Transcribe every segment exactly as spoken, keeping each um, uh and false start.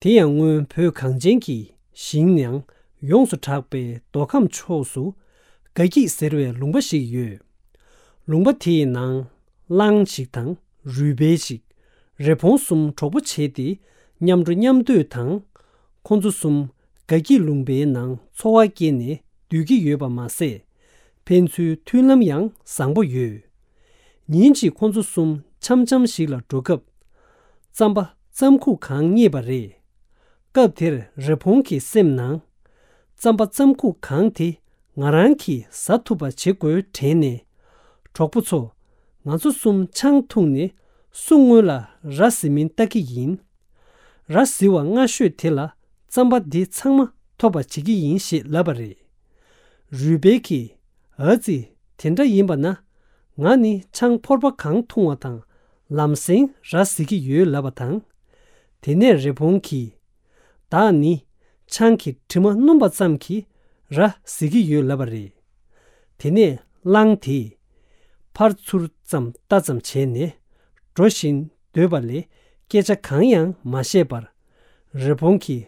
དེ་ཡང་སྔོན་བོད་གངས་ཅན་གྱི་ཞིང་ནང་ཡོངས་སུ་གྲགས་པའི་མདོ་ཁམས་ཕྱོགས་སུ་དགའ་སྐྱིད་ཟེར་བའི་ལུང་པ་ཞིག་ཡོད། ལུང་པ་དེའི་ནང་གླང་ཞིག་དང་རུས་སྦལ་ཞིག་རི་བོང་གསུམ་གྲོགས་པོ་བྱས་ཏེ་མཉམ་འགྲོ་མཉམ་སྡོད་དང་། ཁོ་ཚོ་གསུམ་དགའ་སྐྱིད་ལུང་པའི་ནང་འཚོ་བ་སྐྱེལ་ནས་སྡོད་ཀྱི་ཡོད་པ་མ་ཟད། ཕན་ཚུན་མཐུན་ལམ་ཡང་བཟང་པོ་ཡོད། ཉིན་གཅིག་ཁོ་ཚོ་གསུམ་འཆམ་འཆམ་ཞིག་ལ་འགྲོ་སྐབས། རྩམ་པ་རྩམ་ཁུག་གང་རྙེད་པ་རེད། སྐབས་དེར་རི་བོང་གི་སེམས་ནང་། རྩམ་པ་རྩམ་ཁུག་གང་དེ་ང་རང་གིས་ཟ་ཐུབ་པ་བྱེད་དགོས་དྲན་ནས། གྲོགས་པོ་ཚོ། ང་ཚོ་གསུམ་ཆང་འཐུང་ནས་སུ་སྔོན་ལ་ར་བཟི་མིན་ལྟ་གི་ཡིན། ར་བཟི་བ་སྔ་ཤོས་དེ་ལ་རྩམ་པ་འདི་ཚང་མ་ཐོབ་པ་བྱེད་ཀྱི་ཡིན་ཞེས་ལབ་པ་རེད། རུས་སྦལ་གྱིས། ཨ་ཙི། དེ་འདྲ་ཡིན་པ་ན། ང་ནི་ཆང་ཕོར་པ་གང་འཐུང་བ་དང་ལམ་སེང་ར་བཟི་གི་ཡོད་ལབ་པ་དང་། དེ་ནས་རི་བོང་གིས། བདག་ནི་ཆང་གི་དྲི་མ་སྣོམ་པ་ཙམ་གྱིས་ར་བཟི་གི་ཡོད་ལབ་པ་རེད། དེ་ནས་གླང་དེས་ཕར་ཚུར་ཙམ་ལྟ་ཙམ་བྱས་ནས་འགྲོ་བཞིན་སྡོད་པ་ལས་སྐད་ཆ་གང་ཡང་མ་བཤད་པར། རི་བོང་གིས་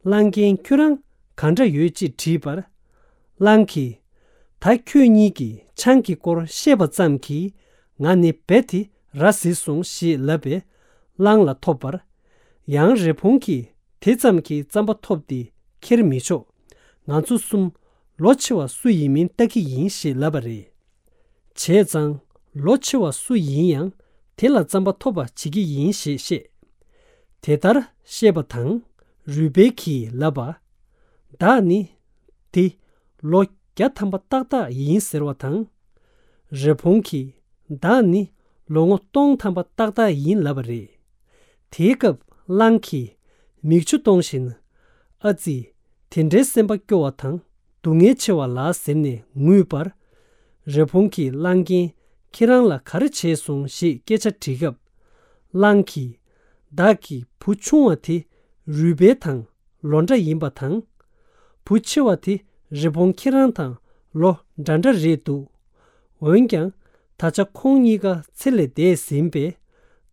གླང་རྒན་ཁྱོད་རང་གང་འདྲ་ཡོད་ཅེས་དྲིས་པར། གླང་གིས། ད་ཁྱོད་གཉིས་ཀྱིས་ཆང་གི་སྐོར་བཤད་པ་ཙམ་གྱིས་ང་ནི་རྦད་དེ་ར་བཟི་སོང་ཞེས་ལབ་པས་གླང་ལ་ཐོབ་པར། ཡང་རི་བོང་གིས་དེ་ཙམ་གྱིས་རྩམ་པ་ཐོབ་སྟེ་ཁྱེར་མི་ཆོག་ང་ཚོ་གསུམ་ལོ་ཆེ་བ་སུ་ཡིན་མིན་ལྟ་གི་ཡིན་ཞེས་ལབ་པ་རེད། བྱས་ཙང་ལོ་ཆེ་བ་སུ་ཡིན་ཡང་དེ་ལ་རྩམ་པ་ཐོབ་པ་བྱེད་ཀྱི་ཡིན་ཞེས་བཤད། དེ་ལྟར་བཤད་པ་དང་རུས་སྦལ་གྱིས་ལབ་པ། བདག་ནི་དེ་ལོ་བརྒྱ་ཐམ་པ་ཏག་ཏག་ཡིན་ཟེར་བ་དང་། རི་བོང་གིས་བདག་ནི་ལོ་ངོ་སྟོང་ཐམ་པ་ཏག་ཏག་ཡིན་ལབ་པ་རེད། དེའི་སྐབས་གླང་གིས་མིག་ཆུ་གཏོང་བཞིན། ཨ་ཙི། དེ་འདྲའི་སེམས་པ་སྐྱོ་བ་དང་སྡུག་བསྔལ་ཆེ་བ་ལ་ཟེར་ནས་ངུས་པར། རི་བོང་གིས་གླང་རྒན་ཁྱེད་རང་ལ་ག་རེ་བྱས་སོང་ཞེས་སྐད་ཆ་དྲིས་སྐབས། གླང་གིས། བདག་གི་བུ་ཆུང་བ་དེ་རུས་སྦལ་དང་ལོ་འདྲ་ཡིན་པ་དང་། བུ་ཆེ་བ་དེ་རི་བོང་ཁྱེད་རང་དང་ལོ་འདྲ་འདྲ་རེད་འདུག་འོན་ཀྱང་ད་ཆ་ཁོང་གཉིས་ཀ་ཚེ་ལས་འདས་ཟིན་པས།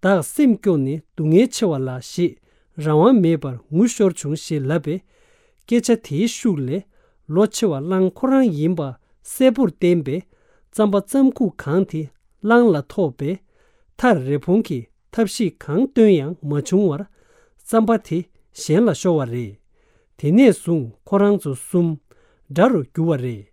བདག་སེམས་སྐྱོ་ནས་སྡུག་བསྔལ་ཆེ་བ་ལ་ཞེས་རང་དབང་མེད་པར་ངུ་ཤོར་བྱུང་ཞེས་ལབ་པས། སྐད་ཆ་དེའི་ཤུགས་ལས་ལོ་ཆེ་བ་གླང་ཁོ་རང་ཡིན་པ་གསལ་པོར་བསྟན་པས། རྩམ་པ་རྩམ་ཁུག་གང་དེ་གླང་ལ་ཐོབ་པས། མཐར་རི་བོང་གིས་ཐབས་ཤེས་གང་བཏོན་ཡང་མ་བྱུང་བར། རྩམ་པ་དེ་གཞན་ལ་ཤོར་བ་རེད། དེ་ནས་བཟུང་ཁོ་རང་ཚོ་གསུམ་དགྲ་རུ་གྱུར་བ་རེད།